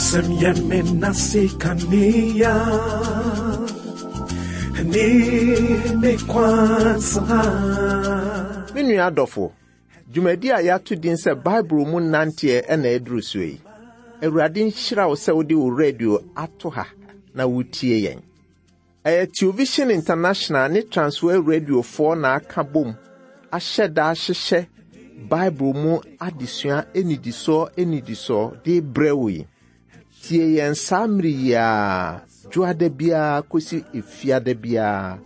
Wasɛm yɛ me nase kanea ne me kwan so ha. Me nua adɔfo, dwumadi a yɛato din sɛ Bible mu nanteɛ na ɛduru so yi. Awurade nhyira wo sɛ wode wo radio ato ha na wotie yɛn. Ɛyɛ Television International ne Transworld Radiofoɔ na aka bom ahyɛ da ahyehyɛ Bible mu adesua nnidisoɔ nnidisoɔ de brɛ wo yi. Tie yɛn saa mmere yi ara, dwoada biara kɔsi efiada biara,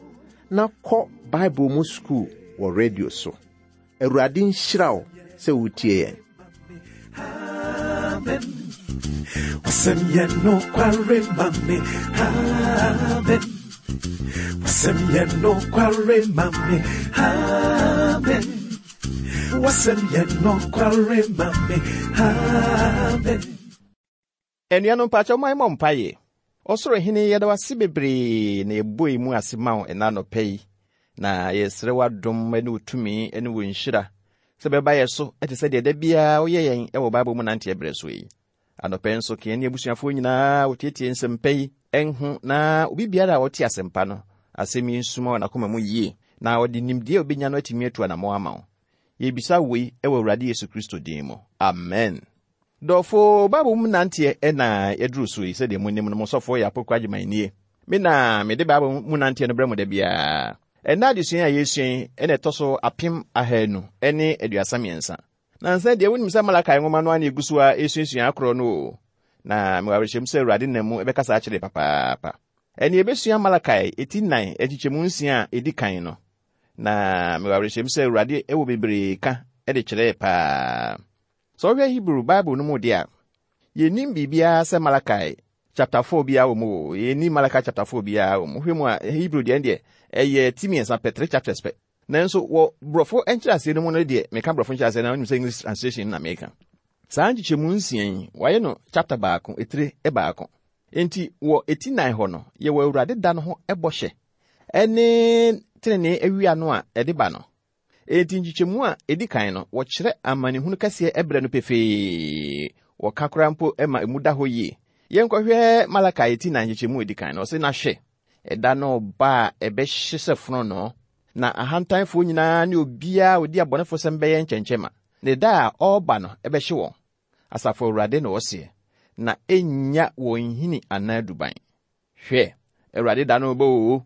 na kɔ Bible mu sukuu wɔ radio so. Awurade nhyira wo sɛ wotie yɛn. Amen. Wasɛm yɛ nokware ma me. Amen. Wasɛm yɛ nokware ma me. Amen. Wasɛm yɛ nokware ma me. Amen. Anuanom mpakyɛw ma yɛmmɔ mpaeɛ. Ɔsoro Hene, yɛda wo ase bebree na yɛbɔ yi mu ase ma wo ɛna anɔpa yi. Na yɛsrɛ w'adom ne wo tumi ne wo nhyira sɛ bɛba yɛ so te sɛ deɛ da biara woyɛ yɛn wɔ Bible mu nanteɛ berɛ so yi. Anɔpa yi nso, ka yɛn ne abusuafoɔ nyinaa wɔtietie nsɛmpa yi nho na obi biara a ɔte asɛmpa no asɛm yi nsuma wɔ n'akoma mu yie na ɔde nimdeɛ a obɛnya no atumi atu anammɔn ama wo. Yɛbisa wei wɔ Awurade Yesu Kristo din mu. Amen. Dɔfo, Bible mu nanteɛ na yɛduru so yi. Sɛdeɛ monim no, mo sɔfoɔ yɛ Apoku Agyeman nie. Me na mede Bible mu nanteɛ no brɛ mo da biara. Ɛnnɛ adesua a yɛresua yi na ɛtɔ so 1233. Nansa deɛ wonim sɛ Malakai nwoma no ara na yɛgu so a ɛresuasua akorɔ no o. Na mewɔ awerɛhyɛmu sɛ Awurade nam mu bɛkasa akyerɛ papaapa. Ɛnne yɛbɛsua Malakai eti nnan nkyekyɛmu nsia a ɛdi kan no. Na mewɔ awerɛhyɛmu sɛ Awurade wɔ bebree ka de kyerɛɛ paa. Sɛ wohwɛ Hebrew Bible no mu de a, yennim biribiara sɛ Malachi chapter 4 biara wɔ mu o. Yennim Malachi chapter 4 biara wɔ mu. Wohwɛ mu a, Hebrew deɛ deɛ ɛyɛ ti mmiɛnsa pɛ, three chapters pɛ. Nanso wɔ Borɔfo nkyerɛaseɛ no mu no deɛ, meka Borɔfo nkyerɛaseɛ na wonim sɛ English translation na meka. Saa nkyekyɛmu nsia yi, wɔayɛ no chapter baako, etire baako. Enti wɔ eti nan hɔ no, yɛwɔ Awurade da no ho bɔhyɛ ne tenenee awia no a ɛde ba no. Enti nkyekyɛmu a edi kan no, wɔkyerɛ amanehunu kɛseɛ berɛ no pefee. Wɔka koraa mpo ma emu da hɔ yie. Yɛnkɔhwɛ Malakai ti nan nkyekyɛmu a edi kan no. Ɔse, Na hwɛ, ɛda no reba a ɛbɛhye sɛ fononoo, na ahantanfoɔ nyinaa ne obiara a ɔdi abɔnefosɛm bɛyɛ nkyɛnkyɛmma, na da a ɔreba no bɛhye wɔn, Asafo Awurade na ɔseɛ, na ɛnnya wɔn nhini anaa duban. Hwɛ, Awurade da no reba oo!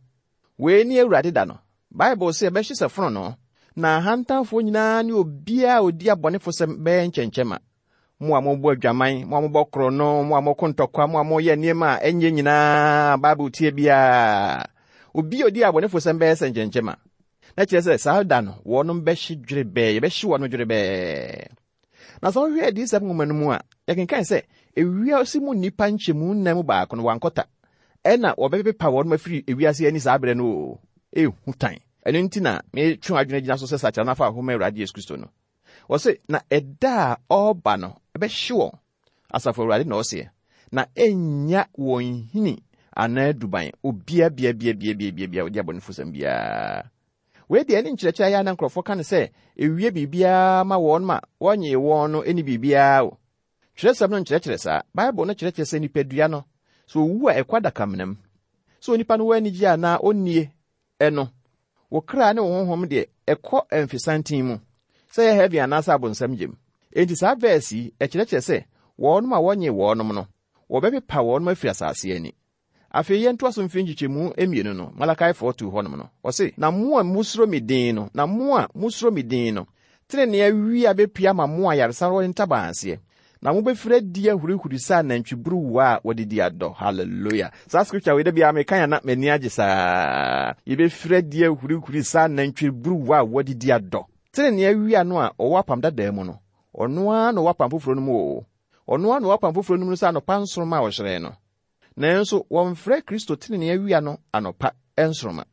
Wei ne Awurade da no. Bible se ɛbɛhye sɛ fononoo, na ahantanfoɔ nyinaa ne obiara a ɔdi abɔnefosɛm bɛyɛ nkyɛnkyɛmma. Mo a mobɔ adwaman, mo a mobɔ korɔno, mo a moko ntɔkwa, mo a moyɛ nneɛma a ɛnyɛ nyinaa Bible tie biara, obi a ɔdi abɔnefosɛm bɛyɛ sɛ nkyɛnkyɛmma. Na kyerɛ sɛ saa da no, wɔnom bɛhye dwerebɛɛ, yɛbɛhye wɔnom dwerebɛɛ. Na sɛ wohwɛ Adiyisɛm nwoma no mu a, yɛkenkan sɛ ewiase mu nnipa nkyɛmu nnan mu baako no wɔankɔta. Ɛna wɔbɛpepa wɔn afiri ewiase ani saa berɛ no o. Ehu tan. Ɛno nti na metwe w'adwene gyina so sɛ sakyera na fa wo ho ma Awurade Yesu Kristo no. Wɔse, na ɛda a ɔreba no ɛbɛhye wɔn, Asafo Awurade na ɔseɛ, na ɛnnya wɔn nhini anaa duban, obia bia bia bia bia bia bia ɔdi abɔnefosɛm biara. Wei deɛ ɛne nkyerɛkyerɛ a na nkurɔfoɔ ka no sɛ ewie biribiara ma wɔn ma wɔnyee wɔn no ɛni biribiara o. Twerɛsɛm no nkyerɛkyerɛ saa. Bible no kyerɛkyerɛ sɛ nipadua no, sɛ owu a ɛkɔ adakamena mu. Sɛ onipa no wɔ anigye anaa ɔnnie ɛno, wo kra ne wo honhom deɛ ɛkɔ mfesanten mu, sɛ ɛyɛ heaven anaasɛ abonsam gyem. Enti saa verse yi, ɛkyerɛkyerɛ sɛ wɔnom a wɔnyee wɔnom no, wɔbɛpepa wɔnom afiri asase ani. Afei yɛntoa so mfiri nkyekyɛmu mmienu no, Malachi 4:2 hɔnom no, ɔse, Na mo a musuro me din no, na mo a musuro me din no, tenenee awia bepue ama mo ayaresa wɔ ntaban aseɛ, na mobɛfiri adi ahurihuri sɛ anantwiburuwa a wɔde di adɔ. Hallelujah! Saa scripture wei da biara mekan a na m'ani agye saa. Yɛbɛfiri adi ahurihuri sɛ anantwiburuwa a wɔde di adɔ. Tenenee awia no a ɔwɔ apam dadaa mu no, ɔno ara na ɔwɔ apam foforɔ no mu o. Ɔno ara na ɔwɔ apam foforɔ no mu no sɛ anɔpa nsoromma a ɔhyerɛn no. Nanso wɔmfrɛ Kristo trenee awia no anɔpa nsoromma.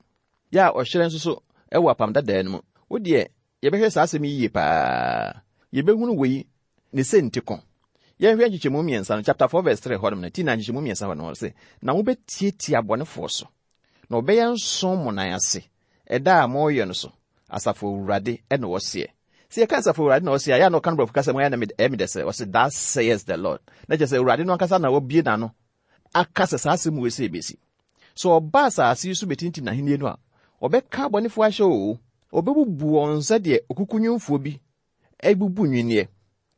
Yɛ a ɔhyerɛn nso so wɔ Apam Dadaa no mu. Wo deɛ, yɛbɛhwɛ saa asɛm yi yie paa. Yɛbɛhunu wei ne sɛnti ko. Yɛnhwɛ nkyekyɛmu mmiɛnsa no, chapter 4 verse 3 hɔnom no, ti na nkyekyɛmu mmiɛnsa hɔ no, ɔse, Na mobɛtiatia abɔnefoɔ so, na wɔbɛyɛ nso mo nan ase, ɛda a moreyɛ no so, Asafo Awurade na ɔseɛ. Sɛ yɛka Asafo Awurade na ɔse a, ɛyɛ a na ɔka no borɔfo kasa mu, ɛyɛ a na ɛyɛ me dɛ sɛ ɔse Thus saith the Lord. Na kyerɛ sɛ Awurade no ankasa na wabue n'ano aka sɛ saa asɛm wei sɛ ebesi. Sɛ ɔba asase yi so betintim n'ahenni no a, ɔbɛka abɔnefo ahyɛ oo, ɔbɛbubu wɔn sɛdeɛ okukunwomfoɔ bi abubu nnwinneɛ.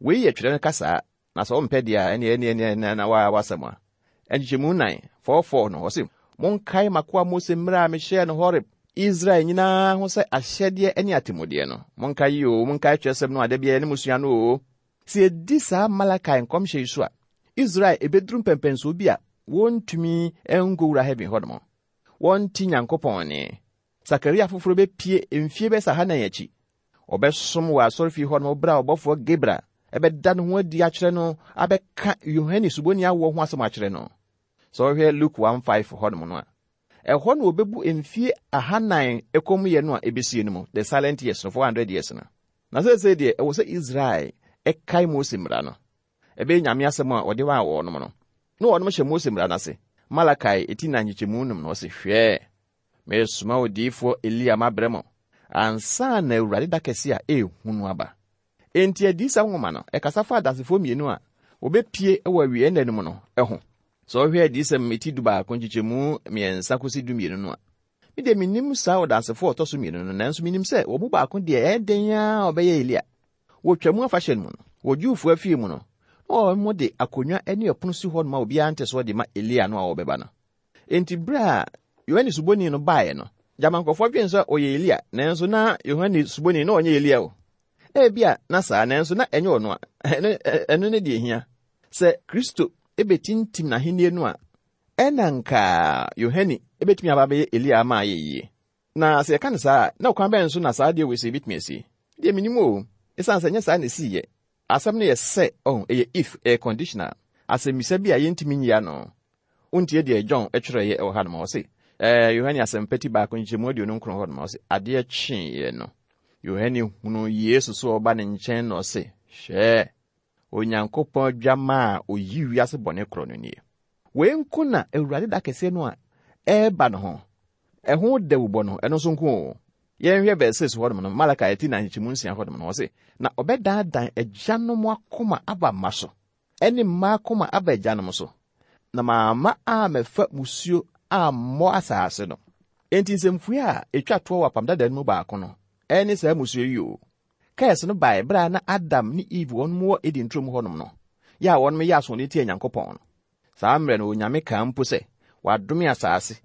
Wei yɛ twerɛ no kasaa, na sɛ wompɛ deɛ a, ɛneɛ ɛneɛ ɛneɛ ɛneɛ na waa w'asɛm a. Nkyekyɛmu nnan, 4:4 no, ɔse, Monkae m'akoa Mose mmara a mehyɛɛ no Horeb, Israel nyinaa ho sɛ ahyɛdeɛ ne atemmudeɛ no. Monkae yi oo, monkae twerɛsɛm no a da biara yɛne mo sua no oo. Sɛ yɛdi saa Malakai nkɔmhyɛ yi so a, Israel ɛbɛduru mpɛmpɛnsoɔ bi a wɔntumi nkɔwura heaven hɔnom. Wɔnte Nyankopɔn nne. Sakaria foforɔ bɛpue mfie bɛyɛ sɛ ahanan akyi. Ɔbɛsom wɔ asɔrefie hɔ nom berɛ a ɔbɔfoɔ Gabriel bɛda ne ho adi akyerɛ no abɛka Yohane Suboni awoɔ ho asɛm akyerɛ no. Sɛ wohwɛ Luke 1:5 hɔ nom no a, ɛhɔ na wɔbɛbu mfie ahanan kommyɛ no a ɛbɛsie no mu, the silent years no, 400 years no. Na seesei deɛ ɛwɔ sɛ Israel kae Mose mmara no. Ɛbɛyɛ Nyame asɛm a ɔde maa wɔnom no. Na wɔnom hyɛ Mose mmara no ase. Malakai eti nan nkyekyɛmu num no ɔse, Hwɛ, meresoma odiyifoɔ Elia mabrɛ mo, ansa na Awurade da kɛse a ɛyɛ hu no aba. Enti Adiyisɛm nwoma no, ɛkasa fa adansefoɔ mmienu a wɔbɛpue wɔ awieɛ nna no mu no ho. Sɛ wohwɛ Adiyisɛm eti dubaako nkyekyɛmu mmiɛnsa kɔsi dumienu no a, me deɛ mennim saa ɔdansefoɔ a ɔtɔ so mmienu no, nanso menim sɛ wɔn mu baako deɛ ɛyɛ den ara a ɔbɛyɛ Elia. Wɔ Twam afahyɛ no mu no, wɔ Jewfo afie mu no, na wɔde akonnwa ne ɔpono si hɔ ma obiara nte so de ma Elia no a ɔrebɛba no. Enti bere a Yohane Suboni no baeɛ no, gyama nkurɔfoɔ dwen sɛ ɔyɛ Elia, nanso na Yohane Suboni na ɔnyɛ Elia o. Ebia na saa, nanso na ɛnyɛ ɔno a. Ɛno ne deɛ ehia. Sɛ Kristo betintim n'ahenni no a, ɛna nka Yohane betumi aba abɛyɛ Elia ama ayɛ yie. Na sɛ yɛka no saa a, na ɔkwan bɛn so na saa adeɛ wei sei bɛtumi asi? Deɛ mennim o, ɛsiane sɛ ɛnyɛ saa na ɛsiiɛ. Asɛm no yɛ sɛ, ɔho, ɛyɛ if, ɛyɛ conditional, asɛmmisa bi a yɛntumi nyi ano. Wontie deɛ John twerɛeɛ wɔ hanom a, ɔse, ɛɛ, Yohane Asɛmpa ti baako nkyekyɛmu 29 hɔnom a, ɔse, adeɛ kyeeɛ no, Yohane hunuu Yesu sɛ ɔreba ne nkyɛn na ɔse, Hwɛ, Onyankopɔn Adwammaa a ɔyi wiase bɔne korɔ no nie. Wei nko na Awurade da kɛseɛ no a ɛreba no ho, ɛho dawubɔ no, ɛno nso nko o. Yɛnhwɛ verse 6 hɔnom no, Malachi ti 4 nkyekyɛmu 6 hɔnom no, ɔse, Na ɔbɛdandan agyanom akoma aba mma so, ɛne mma akoma aba agyanom so, na mamma ammɛfa mmusuo ammɔ asase no. Enti nsɛmfua a ɛtwa toɔ wɔ Apam Dada no mu baako no, ɛne saa mmusuo yi o. Curse no bae bere a na Adam ne Eve wɔn wɔ Eden turom hɔnom no, yɛ a wɔn yɛ asoɔden tia Nyankopɔn no. Saa mmerɛ no Onyame kaa mpo sɛ wadome asaase,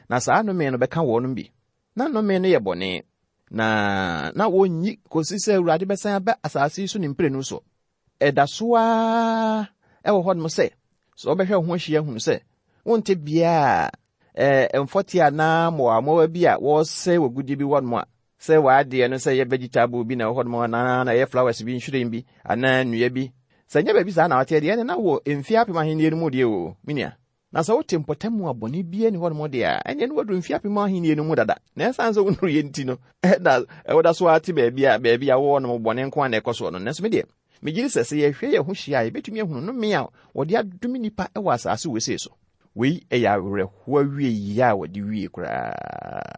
na saa nnome no bɛka wɔnom bi. Na nnome no yɛ bɔne, na na wɔnnyi kɔsi sɛ Awurade bɛsan aba asaase yi so ne mprenu soɔ. Ɛda so ara wɔ hɔnom sɛ, sɛ wobɛhwɛ wo ho ahyia ahunu sɛ wonte bea a mfɔteɛ anaa mmoawammoawa bi a wɔresɛe w'agudeɛ bi wɔ nom a, sɛ w'adeɛ no sɛ ɛyɛ vegetable bi na ɛwɔ hɔnom anaa na ɛyɛ flowers bi, nhwiren bi anaa nnua bi. Sɛ ɛnyɛ baabi saa na woteɛ deɛ, ɛnne na wɔ mfeɛ apem ahennie no mu deɛ o, me nua. Na sɛ wote mpɔtam a bɔne biara nni hɔnom deɛ a, ɛnneɛ na woaduru mfeɛ apem ahennie no mu dada. Na ɛsiane sɛ wonnuruiɛ nti no, na woda so ara te baabi a baabi a wowɔ nom bɔne nko ara na ɛkɔ soɔ no. Nanso me deɛ, megye di sɛ sɛ yɛhwɛ yɛn ho hyia a, yɛbɛtumi ahunu nnome a wɔde adome nnipa wɔ asase wesee so. Wei yɛ awerɛhoɔ awieeɛ a wɔde wie koraa.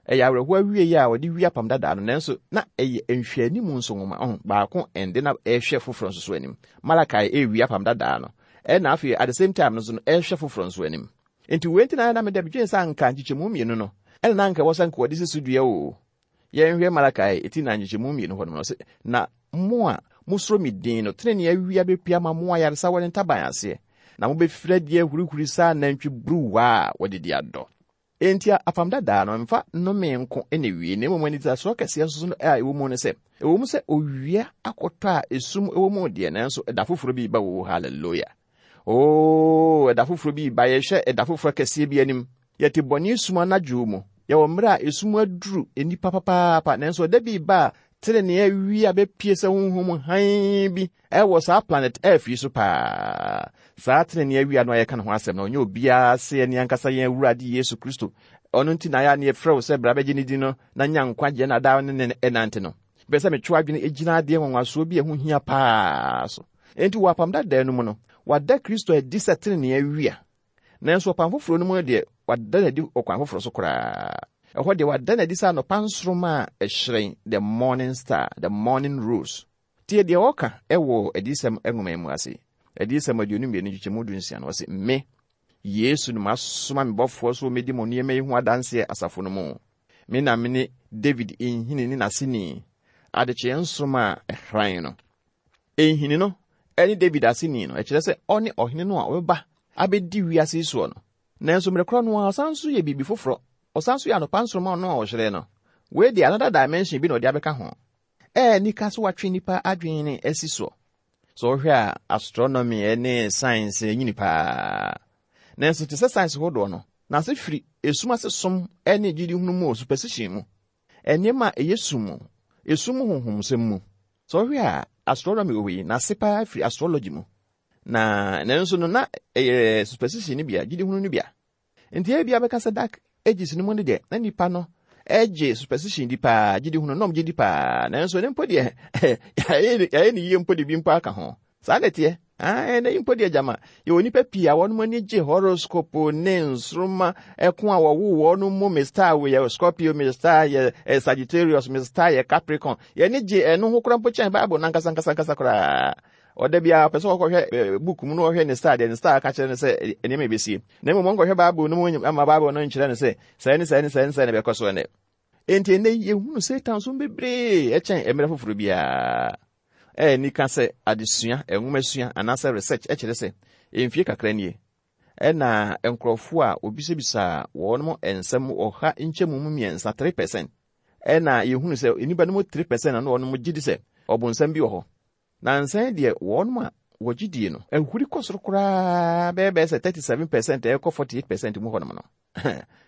Ɛyɛ awerɛhoɔ awieeɛ a wɔde wie apam dadaa no, nanso na ɛyɛ nhwɛanimu nso nwoma. Ɔho, baako ɛnde na ɛrehwɛ foforɔ nso so anim. Malachi ɛrewie apam dadaa no, ɛna afei at the same time no nso no ɛrehwɛ foforɔ nso anim. Nti wei nti na na meda medwene sɛ anka nkyekyɛmu mmienu no, ɛna na anka ɛwɔ sɛ anka wɔde si so dua o. Yɛnhwɛ Malachi ti na nkyekyɛmu mmienu hɔ nom no, ɔse, Na mo a mosuro me din no, tenenee awia bɛpue ama mo ayaresa wɔ ne ntaban aseɛ, na mobɛfiri adi ahurihuri sɛ anantwi buruwa a wɔde di adɔ. Enti Apam Dadaa no mfa nnome nko na ewie, na mmom anidasoɔ kɛseɛ nso a ɛwɔ mu ne sɛ, ɛwɔ mu sɛ owia akɔtɔ a esum wɔ mu deɛ, nanso ɛda foforɔ bi reba o, hallelujah. Oo, ɛda foforɔ bi reba, yɛhwɛ ɛda foforɔ kɛseɛ bi anim. Yɛte bɔne sum anadwo mu, yɛwɔ mmerɛ a esum aduru nnipa papaapa, nanso ɛda bi reba a tenenee awia bɛpue sɛ honhom hann bi Ɛwɔ saa planet Earth yi so paa. Saa tenenee awia no a yɛka ne ho asɛm no, ɔnyɛ obiara sɛ yɛn ankasa yɛn Awurade Yesu Kristo. Ɔno nti na yɛ a na yɛfrɛ wo sɛ bra bɛgye ne din no na nya nkwagyeɛ na daa ne ne ɛnante no. Mepɛ sɛ metwe w'adwene gyina adeɛ nwanwasoɔ bi a ɛho hia paa so. Enti wɔ Apam Dadaa no mu no, wɔada Kristo adi sɛ tenenee awia. Nanso ɔkwan foforɔ no mu no deɛ, wɔada no adi ɔkwan foforɔ so koraa. Ɛhɔ deɛ wada no adi sɛ anɔpa nsoromma a ɛhyerɛn, the morning star, the morning rose. Tie deɛ ɔka wɔ Adiyisɛm nwoma yi mu ase. Adiyisɛm 22 nkyekyɛmu 16 no, ɔse, Me, Yesu no masoma me bɔfoɔ sɛ ɔmmɛdi mo nneɛma yi ho adanseɛ asafo no mu. Me na mene David nhini ne n'aseni, adekyeɛ nsoromma a ɛhran no. Nhini no ne David aseni no, ɛkyerɛ sɛ ɔne ɔhene no a ɔbɛba abɛdi wiase yi soɔ no. Nanso mmerɛ korɔ no ara, ɔsan nso yɛ biribi foforɔ. Ɔsan nso yɛ anɔpa nsoromma no a ɔhyerɛn no. Wei deɛ another dimension bi na ɔde abɛka ho. Ɛyɛ anika sɛ watwe nnipa adwene asi soɔ. Sɛ wohwɛ a, astronomy ne science nyini paa. Nanso te sɛ science hodoɔ no, n'ase firi esum ase som ne gyidihunu mu superstition mu. Nneɛma a ɛyɛ sum mu, esum mu honhomsɛm mu. Sɛ wohwɛ a, astronomy wɔ hɔ yi, n'ase paa firi astrology mu. Na nanso no na ɛyɛ superstition no bia, gyidihunu no bia. Nti ebia bɛka sɛ dark ages no mu no deɛ, na nipa no gye superstition di paa, gyidihunu nom gye di paa. Nanso ne mpo deɛ, yɛayɛ ne yie mpo de bi mpo aka ho. Saa na ɛteɛ. Ɛnɛ yi mpo deɛ gyama, yɛwɔ nnipa pii a wɔn ani gye horoscope ne nsoromma ɛko a wɔwo wɔn mu, me star yɛ Scorpio, me star yɛ eh, Sagittarius, me star yɛ Capricorn. Yɛn gye ɛno ho koraa mpo kyɛn Bible no ankasa ankasa ankasa koraa. Ɔda biara ɔpɛ sɛ ɔkɔhwɛ eh, book mu na ɔhwɛ ne star deɛ ne star ka kyerɛ no sɛ eh, nneɛma ɛbɛsie. Na mmom ɔnkɔhwɛ Bible no mu ama Bible no nkyerɛ no sɛ sɛɛ ne sɛɛ ne sɛɛ ne sɛɛ na ɛbɛkɔ so ɛnɛ. Enti ɛnnɛ yi yɛhunu Satan som bebree ɛkyɛn mmerɛ foforɔ biara. Ɛyɛ anika sɛ adesua, nwomasua anaasɛ research kyerɛ sɛ mfie kakra nie ɛna nkurɔfoɔ a wɔbisabisaa wɔn nsɛm ɔha nkyɛmu mu mmiɛnsa, 3%, ɛna yɛhunu sɛ nnipa no mu 3% na wɔn gye di sɛ ɔbonsam bi wɔ hɔ. Nansa yi deɛ wɔn a wɔgye die no ahuri kɔ soro koraa bɛyɛ bɛyɛ sɛ 37% ɛkɔ 48% mu hɔnom no.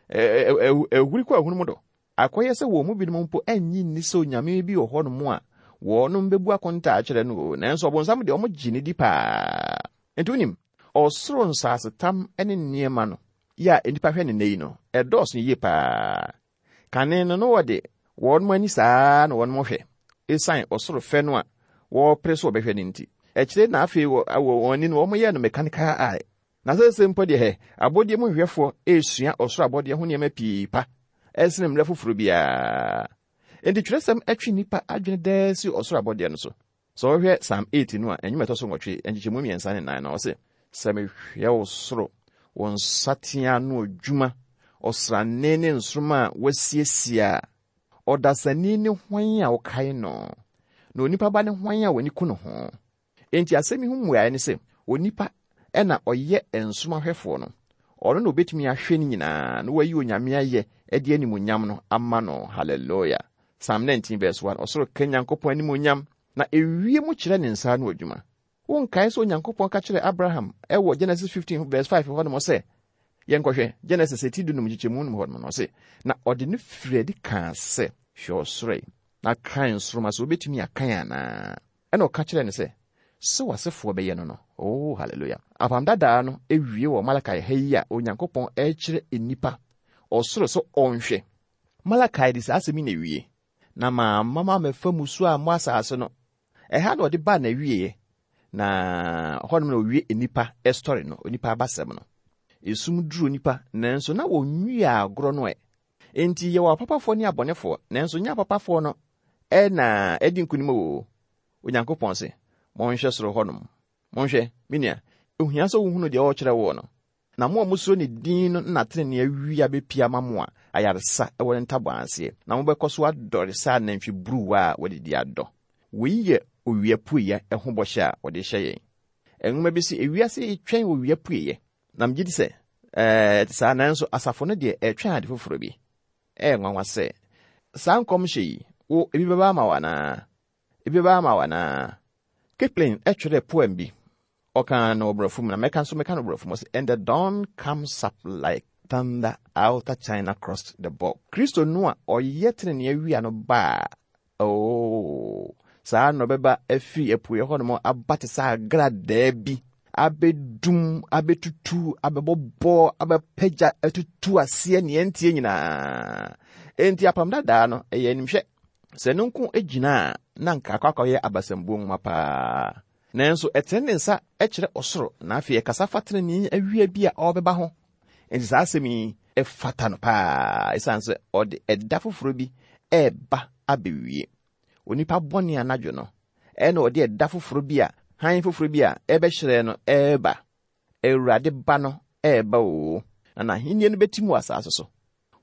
Ahuri kɔ ahunu mu do. Akɔyɛ sɛ wɔn mu binom mpo annye nni sɛ onyame bi wɔ hɔnom a wɔnom bɛbu akontaa akyerɛ no o, nanso ɔbonsam deɛ wɔgye no di paa. Enti wonim, ɔsoro nsasetam ne nneɛma no yɛ a nnipa hwɛ no nnɛ yi no, ɛdɔɔso yie paa. Kane no, na wɔde wɔn ani saa ara na wɔn hwɛ, esiane ɔsoro fɛ no a wɔrepere sɛ wɔbɛhwɛ no nti. Akyire na afei wɔ wɔn ani no, wɔyɛɛ no mechanical eye. Na seesei mpo deɛ hɛ, abɔdeɛ mu nhwehwɛfoɔ resua ɔsoro abɔdeɛ ho nneɛma pii pa sene mmerɛ foforɔ biara. Enti twerɛsɛm twe nnipa adwene daa si ɔsoro abɔdeɛ no so. Sɛ wohwɛ Psalm 8 no a, nnwom a ɛtɔ so nwɔtwe, nkyekyɛmu mmiɛnsa ne nan no, ɔse, Sɛ mehwɛ wo soro, wo nsateaa ano adwuma, ɔsrane ne nsoromma a woasiesie a, ɔdasani ne hwan a wokae no, na onipa ba ne hwan a w'ani ku ne ho? Enti asɛm yi ho mmuae ne sɛ, onipa na ɔyɛ nsoromma-hwɛfoɔ no. Ɔno na obetumi ahwɛ ne nyinaa na wayi Onyame ayɛ de animuonyam no ama no. Hallelujah! Psalm 19 verse 1, Ɔsoro ka Nyankopɔn animuonyam, na ewiem kyerɛ ne nsa ano adwuma. Wonkae sɛ Onyankopɔn ka kyerɛɛ Abraham wɔ Genesis 15 verse 5 hɔnom sɛ, yɛnkɔhwɛ Genesis eti dunum nkyekyɛmu num hɔnom no, ɔse, na ɔde no firii adi kaa sɛ, Hwɛ ɔsoro yi, na kan nsoromma sɛ wobetumi akan anaa. Ɛnna ɔka kyerɛɛ no sɛ, Sɛ w'asefoɔ bɛyɛ no no. Oh, hallelujah. Apam Dadaa no wie wɔ Malakai ha yi a Onyankopɔn rekyerɛ nnipa ɔsoro sɛ ɔnhwɛ. Malakai de saa asɛm yi na ewie. Na mamma mammɛfa mmusuo ammɔ asase no. Ɛha na ɔde baa n'awieɛ, na hɔnom na ɔwie nnipa story no, onipa abasɛm no. Esum duru nnipa, nanso na wɔnwiee agorɔ no ɛ. Enti yɛwɔ apapafoɔ ne abɔnefoɔ, nanso nyɛ apapafoɔ no na adi nkonim oo. Onyankopɔn se, Monhwɛ soro hɔnom. Monhwɛ, me nua, ehia sɛ wohunu deɛ ɔrekyerɛ woɔ no. Na mo a mosuro ne din no na tenenee awia bɛpue ama mo a ayaresa wɔ ne ntaban aseɛ, na mobɛkɔ so adɔre sɛ anantwiburuwa a wɔadidi adɔ. Wei yɛ owia pueɛ ho bɔhyɛ a wɔde rehyɛ yɛn. Nwoma bi se, Ewiase retwɛn owia pueɛ. Na megye di sɛ ɛte saa, nanso asafo no deɛ ɛretwɛn ade foforɔ bi. Ɛyɛ nwanwa sɛ, saa nkɔmhyɛ yi, wo, ebi bɛba ama wo anaa? Ebi bɛba ama wo anaa? Kipling twerɛɛ poem bi. Ɔkaa no wɔ Borɔfo mu, na mɛka nso mɛka no Borɔfo mu. Ɔse, And the dawn comes up like thunder outer China crossed the bog. Kristo no a ɔyɛ tenenee awia no ba a, Oo, saa na ɔbɛba afiri apueɛ hɔnom aba te sɛ agradaa bi, abɛdum, abɛtutu, abɛbɔbɔ, abɛpagya, atutu aseɛ neɛ nteɛ nyinaa. Enti apam dadaa no, ɛyɛ animhwɛ. Sɛ ɛno nko gyina a, na anka akɔ akɔyɛ abasambuo nwoma paa. Nanso ɛtene ne nsa kyerɛ ɔsoro, na afei ɛkasa fa tenenee awia bi a ɔrebɛba ho. Enti saa asɛm yi, Ɛfata no paa ɛsiane sɛ ɔde ɛda foforɔ bi ɛreba abɛwie. Onipa bɔne anadwo no, ɛna ɔde ɛda foforɔ bi a hann foforɔ bi a ɛbɛhyerɛn no ɛreba. Awurade ba no ɛreba oo, na n'ahenni no bɛtim wɔ asase so.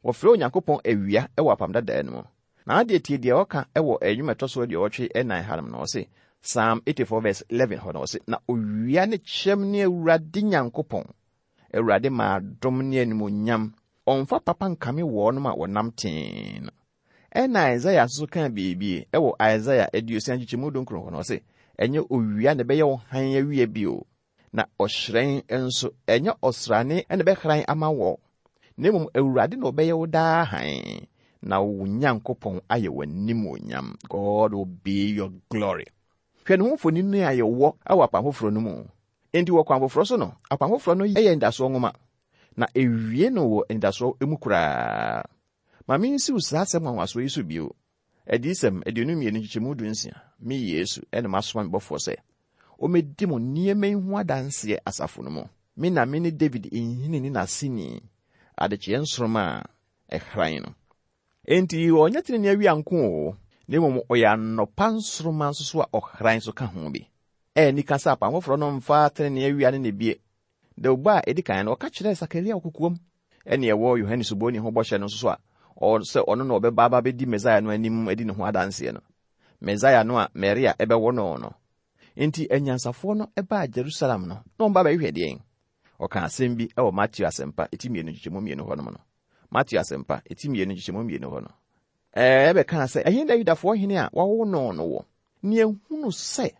Wɔfrɛ Onyankopɔn awia wɔ apam dadaa no mu. Na adeɛ tie deɛ ɔka wɔ nnwom ɛtɔ so 84 hanom no, ɔse, Psalm 84 verse 11 hɔ no, ɔse, na owia ne kyɛm ne Awurade Nyankopɔn. Awurade ma adom ne animuonyam. Ɔmfa papa nkame wɔnom a wɔnam tee no. Ɛna Isaiah nso kaa biribi wɔ Isaiah 60 nkyekyɛmu 19 hɔ no, ɔse, ɛnyɛ owia na ɛbɛyɛ wo hann awia bio, na ɔhyerɛn nso, ɛnyɛ ɔsrane na ɛbɛhran ama wɔ, na mmom Awurade na ɔbɛyɛ wo daa hann, na wo Nyankopɔn ayɛ w'animuonyam. God will be your glory. Hwɛ ne ho mfonini a yɛwɔ wɔ apam foforɔ no mu. Enti wɔ kwan foforɔ so no, apam foforɔ no yɛ anidasoɔ nwoma, na ewie no wɔ anidasoɔ mu koraa. Ma mensiw saa asɛm nwanwasoɔ yi so bio. Adiyisɛm 22 nkyekyɛmu 16, me Yesu ɛna masoma me bɔfoɔ sɛ ɔmmɛdi mo nneɛma yi ho adanseɛ asafo no mu. Me na me ne David nhini ne n'aseni, adekyeɛ nsoromma a ɛhran no. Enti ɔnyɛ tenenee awia nko o, na mmom ɔyɛ anɔpa nsoromma nso so a ɔhran so ka ho bi. Ɛyɛ nika sɛ apam foforɔ no mfa tenenee awia ne ne bie. Dawubɔ a ɛdi kan no, ɔka kyerɛɛ Sakaria wɔ kokoam. Ɛne ɛwɔ Yohane Suboni ho bɔhyɛ no nso so a, sɛ ɔno na ɔbɛba aba bɛdi Mesaia no anim adi ne ho adanseɛ no. Mesaia no a Maria ɛbɛwo no no. Enti anyansafoɔ no baa Jerusalem no, na wɔn ba bɛhwehwɛ deɛn? Ɔka asɛm bi wɔ Mateo Asɛmpa eti 2 nkyekyɛmu 2 hɔ nom no. Mateo Asɛmpa eti 2 nkyekyɛmu 2 hɔ no. Ɛbɛkaa sɛ, ɛhe na Yudafoɔ hene a wɔawo no no wɔ? Ne ehunu sɛ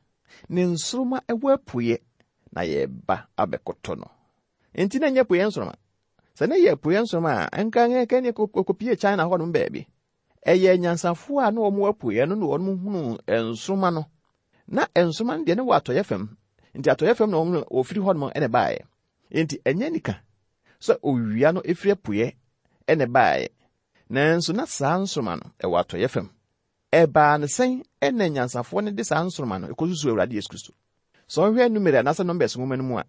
ne nsoromma ɛwɔ apueɛ na yɛreba abɛkoto no. Enti na ɛnyɛ apueɛ nsoromma. Sɛ ne yɛ apueɛ nsoromma a, nka nka ne kɔpie China hɔnom baabi. Ɛyɛ nyansafoɔ a na wɔn apueɛ no na wɔn hunu nsoromma no. Na nsoromma no deɛ ne wɔ atɔeɛ fam. Nti atɔeɛ fam na wɔn wɔfiri hɔnom ɛna ɛbaeɛ. Enti ɛnyɛ nika sɛ owia no efiri apueɛ ɛna ɛbaeɛ. Nanso na saa nsoromma no ɛwɔ atɔeɛ fam. Ɛbaa ne sɛn ɛna nyansafoɔ no de saa nsoromma no ɛkɔsusu Awurade Yesu Kristo. Sɛ ɔhwɛ Numeri anaasɛ Numbers nwoma no mu a,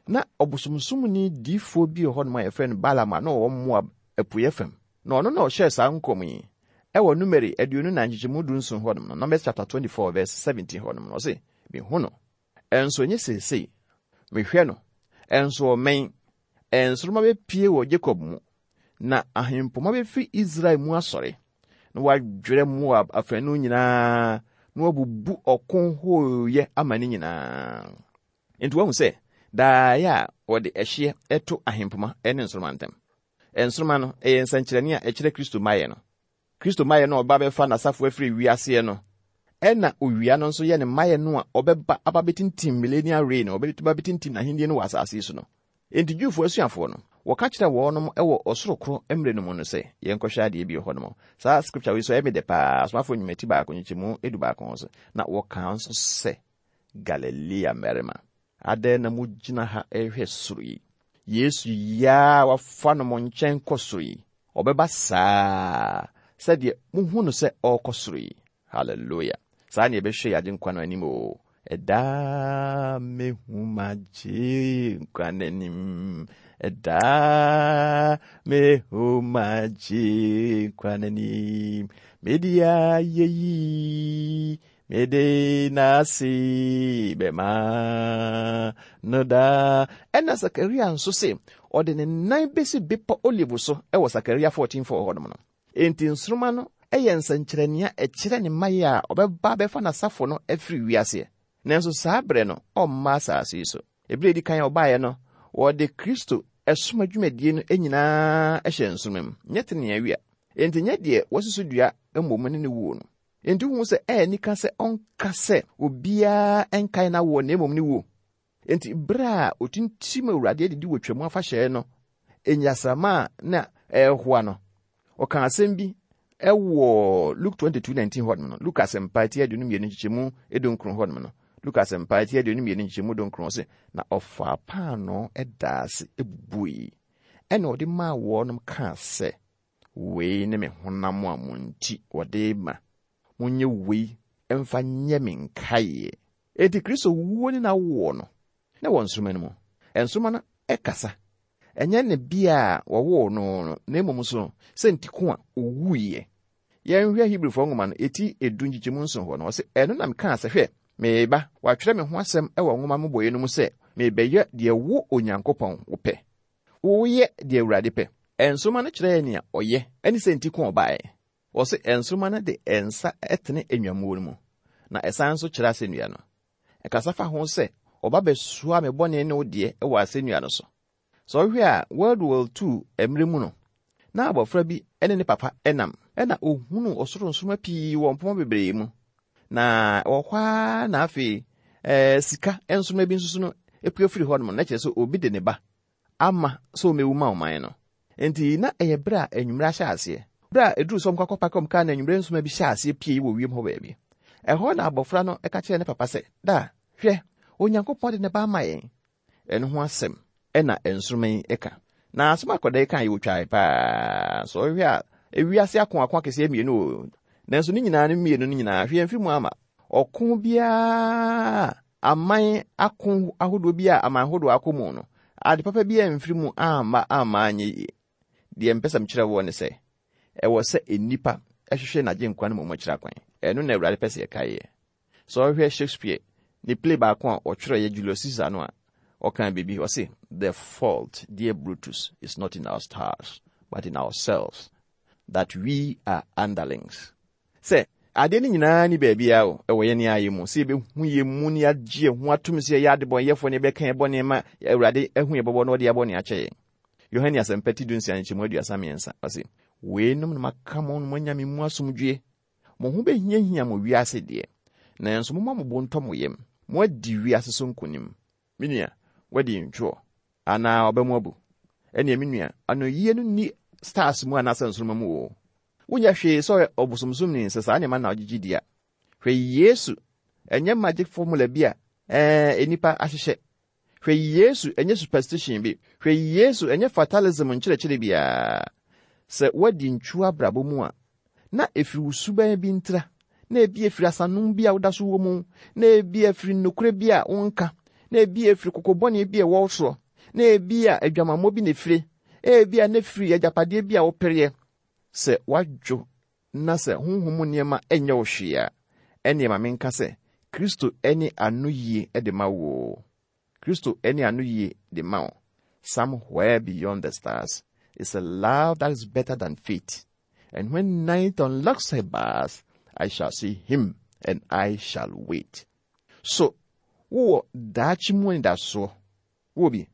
na ɔbosomsomni diifoɔ bi wɔ hɔnom a yɛfrɛ no Balaam a na ɔwɔ Moab apueɛ fam. Na ɔno na ɔhyɛɛ saa nkɔm yi ɛwɔ Numeri 24 nkyekyɛmu 17 hɔnom no, Numbers chapter 24 verse 17 hɔnom no, ɔse, mehu no, ɛnso ɛnyɛ seesei, mehwɛ no, ɛnso ɔmmɛn, nsoromma bɛpie wɔ Jacob mu, na ahempoma bɛfiri Israel mu asɔre, na wadwerɛ Moab afanu nyinaa, na wabubu ɔko hooyɛ ama ne nyinaa. Enti wahu sɛ daeɛ a wɔde ɛhyeɛ ɛto ahempoma ne nsoromma ntam. Nsoromma no ɛyɛ nsɛnkyerɛnne a ɛkyerɛ Kristo mmaeɛ no. Kristo mmaeɛ no a ɔba bɛfa n'asafo afiri wiaseɛ no, ɛna owia no nso yɛ ne mmaeɛ no a ɔbɛba aba bɛtintim millennial reign, ɔbɛba bɛtintim n'ahenni no wɔ asase yi so no. Enti Jewfoɔ asuafoɔ no, wɔka kyerɛ wɔnom wɔ ɔsoro koro mmerɛ no mu no sɛ, yɛnkɔhwɛ adeɛ bi wɔ hɔnom. Saa scripture wei so ɛyɛ me dɛ paa, Asomafoɔ nnwuma ti 1 nkyekyɛmu 11 ho so. Na wɔka nso sɛ, Galilea mmarima, adɛn na mogyina ha ɛrehwɛ soro yi? Yesu yi a wafa no mo nkyɛn kɔ soro yi, ɔbɛba saa sɛdeɛ muhu no sɛ ɔrekɔ soro yi. Hallelujah. Saa ne yɛbɛhwɛ yɛn Agyenkwa no anim o. Ɛda mehu m'Agyenkwa n'anim. Ɛda mehu m'Agyenkwa n'anim. Mede ayɛyi, mede n'ase bɛma no daa. Ɛna Sakaria nso se, ɔde ne nan bɛsi bepɔ Olive so ɛwɔ Sakaria 14:4 hɔnom no. Enti nsoromma no ɛyɛ nsɛnkyerɛnne a ɛkyerɛ ne mmaeɛ a ɔbɛba bɛfa n'asafo no afiri wiaseɛ. Nanso saa berɛ no, ɔmma asase yi so. Ebere edi kan a ɔbaeɛ no, wɔde Kristo ɛsom adwumadie no nyinaa hyɛ nsoromma mu, nyɛ tenenee awia. Enti nyɛ deɛ wɔasusu dua mmom ne ne wuo no. Enti wohu sɛ ɛyɛ nika sɛ ɔnka sɛ obiara nkae n'awoɔ na mmom ne wuo. Enti bere a otintim Awurade adidi wɔ Twam afahyɛ no, enyasrama a na ɛrehoa no, ɔka asɛm bi ɛwɔ Luke 22:19 hɔnom no. Luke Asɛmpa ti 22 nkyekyɛmu 19 hɔnom no. Luke Asɛmpa ti 22 nkyekyɛmu 19 sɛ, na ɔfaa paanoo ɛdaa ase ebubui, ɛna ɔde maa wɔnom kaa sɛ, wei ne me honam a mo nti wɔde ma. Monyɛ wei mfa nyɛ me nkaeɛ. Enti Kristo wuo ne n'awoɔ no, na wɔ nsoromma no mu. Nsoromma no ɛkasa. Ɛnyɛ ne bea a wɔwoo no no, na mmom nso sɛ nti ko a owuiɛ. Yɛnhwɛ Hebrifoɔ nwoma no, eti edu nkyekyɛmu nson hɔ no, ɔse, Ɛno na mekaa sɛ, Hwɛ, mereba, wɔatwerɛ me ho asɛm wɔ nwoma mmobɔeɛ no mu sɛ, merebɛyɛ deɛ wo, Onyankopɔn, wopɛ. Woyɛ deɛ Awurade pɛ. Nsoromma no kyerɛɛ nea ɔyɛ ne sɛ nti ko a ɔbaeɛ. Wɔse nsoromma no de nsa tene nnwammuo no mu, na ɛsan nso kyerɛ asɛnnua no. Ɛkasa fa ho sɛ ɔba bɛsoa me bɔne ne wo deɛ wɔ asɛnnua no so. Sɛ wohwɛ a, World War II mmerɛ mu no, na abɔfra bi ne ne papa nam, ɛna ɔhunuu ɔsoro nsoromma pii wɔ mpoma bebree mu. Na ɛwɔ hɔ ara na afei ɛɛ sika nsoromma bi nso so no pue firi hɔnom, na kyerɛ sɛ obi de ne ba ama sɛ ɔmmɛwu ma ɔman no. Enti na ɛyɛ berɛ a anwummerɛ ahyɛ aseɛ. Berɛ a ɛduruu sɛ wɔkɔ akɔpake wɔn kaa no anwummerɛ nsoromma bi hyɛɛ aseɛ puei wɔ wiem hɔ baabi. Ɛhɔ na abɔfra no ka kyerɛɛ ne papa sɛ, Daa, hwɛ, Onyankopɔn de ne ba ama yɛn. Ɛno ho asɛm na nsoromma yi ka. Na asɛm a akwadaa yi kaeɛ ɔtwae paa. Sɛ ɔhwɛ a, ewiase akoako akɛseɛ mmienu o. Nanso ne nyinaa no mmienu no nyinaa, hwee amfiri mu amma. Ɔko biara aman ako ahodoɔ bi a aman ahodoɔ akɔ mu no, ade papa bi amfiri mu amma amma anyɛ yie. Deɛ mpɛ sɛ mekyerɛ woɔ ne sɛ, ɛwɔ sɛ nnipa hwehwɛ n'agyenkwa no mmom akyiri akwan. Ɛno na Awurade pɛ sɛ yɛkaeɛ. Sɛ wohwɛ Shakespeare ne play baako a ɔtwerɛeɛ Julius Caesar no a, ɔkaa biribi, ɔse, The fault, dear Brutus, is not in our stars, but in ourselves, that we are underlings. Sɛ, adeɛ no nyinaa ni baabiara o, ɛwɔ yɛn ara yɛn mu, sɛ yɛbɛhu yɛn mu na yɛagye yɛn ho atom sɛ yɛyɛ adebɔnyɛfoɔ na yɛbɛka yɛn bɔne ma Awurade ahu yɛn bɔbɔ na ɔde yɛn bɔne akyɛ yɛn. Yohane Asɛmpa ti dunsia nkyɛmu 33, ɔse, Weinom na maka mo na moanya me mu asomdwoeɛ. Mo ho bɛhiahia mo wiase deɛ, nanso momma mo bo ntɔ mo yam, moadi wiase so nkonim. Me nua, woadi ntwoɔ anaa ɔba mu abu? Ɛnneɛ me nua, anoyie no nni stars mu anaasɛ nsoromma mu oo. Wonyɛ hwee sɛ ɔyɛ ɔbosomsomni sɛ saa nneɛma na ɔgyegye di a. Hwɛ Yesu, ɛnyɛ magic formula bi a ɛɛ nnipa ahyehyɛ. Hwɛ Yesu, ɛnyɛ superstition bi. Hwɛ Yesu, ɛnyɛ fatalism nkyerɛkyerɛ biara. Sɛ woadi ntwo abrabɔ mu a, na ɛfiri wo suban bi ntira, na ebi ɛfiri asanom bi a woda so wɔ mu, na ebi ɛfiri nokorɛ bi a wonka, na ebi ɛfiri kokobɔne bi a ɛwɔ wo soɔ, na ebi a adwamammɔ bi na ɛfire, ebi a na ɛfiri agyapadeɛ bi a wopereɛ. Sɛ woadwo na sɛ honhom mu nneɛma nyɛ wo hwee a, ɛnneɛ ma menka sɛ, Kristo ne anoyie de ma wo oo. Kristo ne anoyie de ma wo. Somewhere beyond the stars is a love that is better than fate. And when night unlocks her bars, I shall see him and I shall wait. So, wowɔ daakye mu anidasoɔ? Wowɔ bi?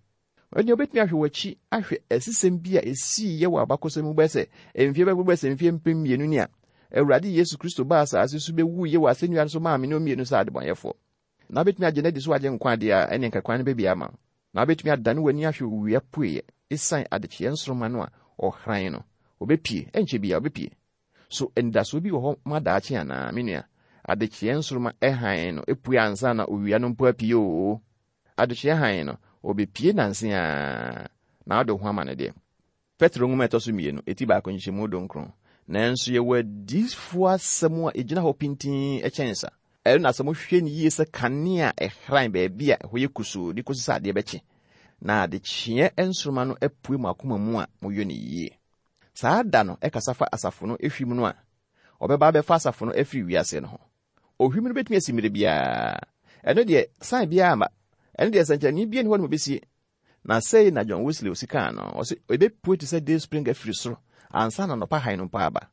Ɛnneɛ wobɛtumi ahwɛ w'akyi ahwɛ asisɛm bi a ɛsiiɛ wɔ abakɔsɛm mu bɛyɛ sɛ mfeɛ bɛbɛbɛ sɛ mfeɛ 2000 ni a Awurade Yesu Kristo baa asase so bɛwuiɛ wɔ asɛnnua no so maa me ne mmienu sɛ adebɔnyɛfoɔ. Na wobɛtumi agye no adi so agye nkwa adeɛ a ɛne nka kwan no bɛbie ama wo. Na wobɛtumi adane w'ani ahwɛ owia pueɛ ɛsiane adekyeɛ nsoromma no a ɔhran no. Ɔbɛpue, ɛnkyɛ biara ɔbɛpue. So anidasoɔ bi wɔ hɔ ma daakye anaa, me nua? Adekyeɛ nsoromma hann no pue ansa na owia no mpo apue oo. Adekyeɛ hann no, ɔbɛpue nanse ara, na wode wo ho ama no deɛ. Petro nwoma a ɛtɔ so mmienu, eti baako nkyɛmu dunkron. Nanso yɛwɔ adiyifoɔ asɛm a ɛgyina hɔ pintinn kyɛn sa. Ɛno na sɛ mohwɛ no yie sɛ kanea a ɛhran baabi a ɛhɔ yɛ kusuu de kɔsi sɛ adeɛ bɛkye, na adekyeɛ nsoromma no apue mo akoma mu a, moyɔ no yie. Saa da no kasa fa asafo no hwim no a ɔbɛba abɛfa asafo no afiri wiase no ho. Ohwim no betumi asi mmere biara. Ɛno deɛ, sign biara mma. Ɛno deɛ, sɛnkyerɛnne biara nni hɔ nom obesie. Na sei na John Wesley osi kaa no, ɔse, Ebepue te sɛ day spring afiri soro ansa na anɔpa hann no mpo aba.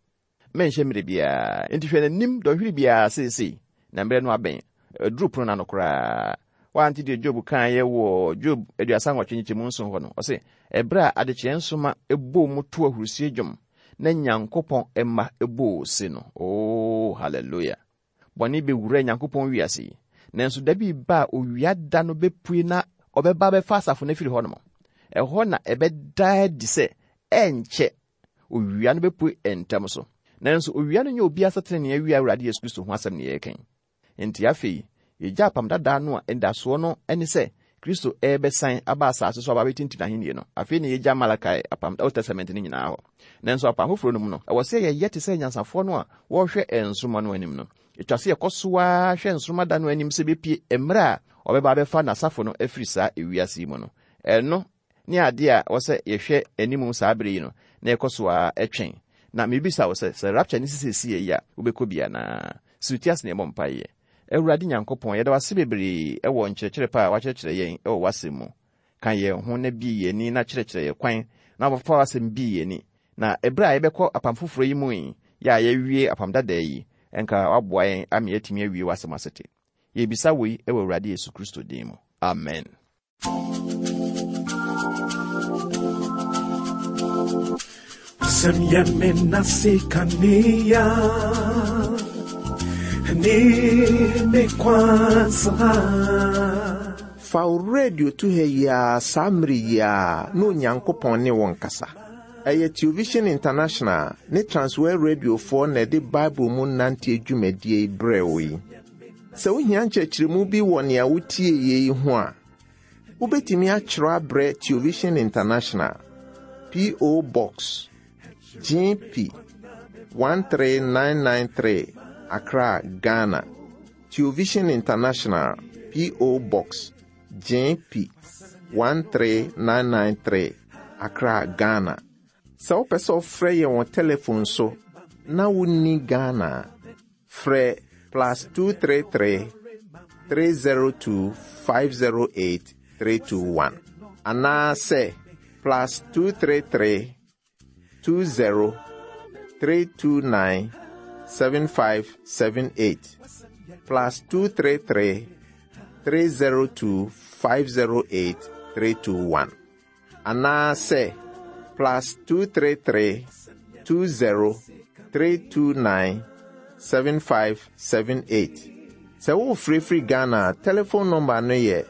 Menhyɛ mmerɛ biara. Enti hwɛ n'anim dɔnhwere biara seesei, na mmerɛ no abɛn. Aduru pono no ano koraa. Woante deɛ Job kaeɛ wɔ Job 38 nkyekyɛmu nson hɔ no? Ɔse, Ɛberɛ a adekyeɛ nsoma bɔɔ mu too ahurusie dwom, na Nyankopɔn mma bɔɔ ose no. Oh, hallelujah! Bɔne bɛwura Nyankopɔn wiase yi. Nanso da bi reba a owia da no bɛpue na ɔbɛba abɛfa asafo no afiri hɔnom. Ɛhɔ na ɛbɛda adi sɛ ɛrenkyɛ owia no bɛpue ntɛm so. Nanso owia no nyɛ obiara sɛ tenenee awia Awurade Yesu Kristo ho asɛm na yɛreka yi. Enti afei, yɛgya apam dadaa no a anidasoɔ no ne sɛ Kristo rebɛsan aba asase so aba abɛtintim n'ahenni no. Afei na yɛgya Malakai apam, Old Testament no nyinaa hɔ. Nanso apam foforɔ no mu no, ɛwɔ sɛ yɛyɛ te sɛ anyansafoɔ no a wɔrehwɛ nsoromma no anim no. Ɛtwa sɛ yɛkɔ so ara hwɛ nsoromma da no anim sɛ ɛbɛpue mmerɛ a ɔbɛba abɛfa n'asafo no afiri saa ewiase yi mu no. Ɛno. ne adeɛ a ɛwɔ sɛ yɛhwɛ anim saa bere yi no, na yɛkɔ so ara twɛn. Na mebisa wo sɛ, sɛ rapture no si seesei yi a, wobɛkɔ bi anaa? Si wo ti ase na yɛmmɔ mpaeɛ. Awurade Nyankopɔn, yɛda wo ase bebree wɔ nkyerɛkyerɛ pa a woakyerɛkyerɛ yɛn wɔ w'asɛm mu. Ka yɛn ho na bue yɛn ani na kyerɛkyerɛ yɛn kwan na fa w'asɛm bue yɛn ani. Na ɛberɛ a yɛbɛkɔ apam foforɔ yi mu yi, yɛ a yɛawie apam dadaa yi, nka woaboa yɛn ama yɛatumi awie w'asɛm asete. Yɛrebisa woi wɔ Awurade Yesu Kristo din mu. Amen. Sɛm yɛ me nase kanea ne me kwansa. Fa wo radio to ha yi ara saa mmere yi ara na Onyankopɔn ne wo nkasa. Ɛyɛ Television International ne Transworld Radiofoɔ na ɛde Bible mu nanteɛ dwumadie yi brɛɛ wo yi. Sɛ wohia nkyerɛkyerɛmu bi wɔ nea wotie yi ho a, wobɛtumi akyerɛw abrɛ Television International, P.O. Box, GP 13993, Accra, Ghana. Television International, P.O. Box, GP 13993, Accra, Ghana. Sɛ wopɛ sɛ ɔfrɛ yɛn wɔ telefon so na wonni Ghana a, frɛ plus 233 302 508 321 anaasɛ plus 233 20 329 7578 plus 233 302 508 321 anaasɛ plus 233 20 329 7578. Sɛ worefrɛfiri Ghana a, telephone number no yɛ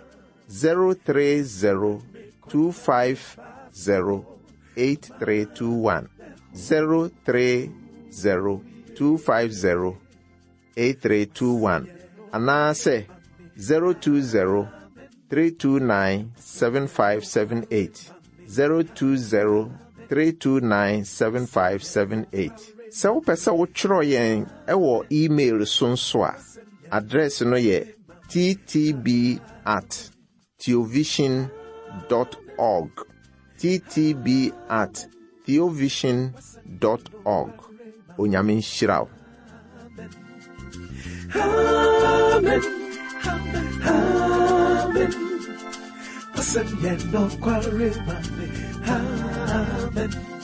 030 250 8321. 030 250 8321 anaasɛ 020 329 7578. 020 329 7578. Sɛ wopɛ sɛ wotwerɛ yɛn wɔ email so nso a, address no yɛ ttb at theovision dot org. ttb at theovision dot org. Onyame nhyira wo. Amen. Amen. Amen.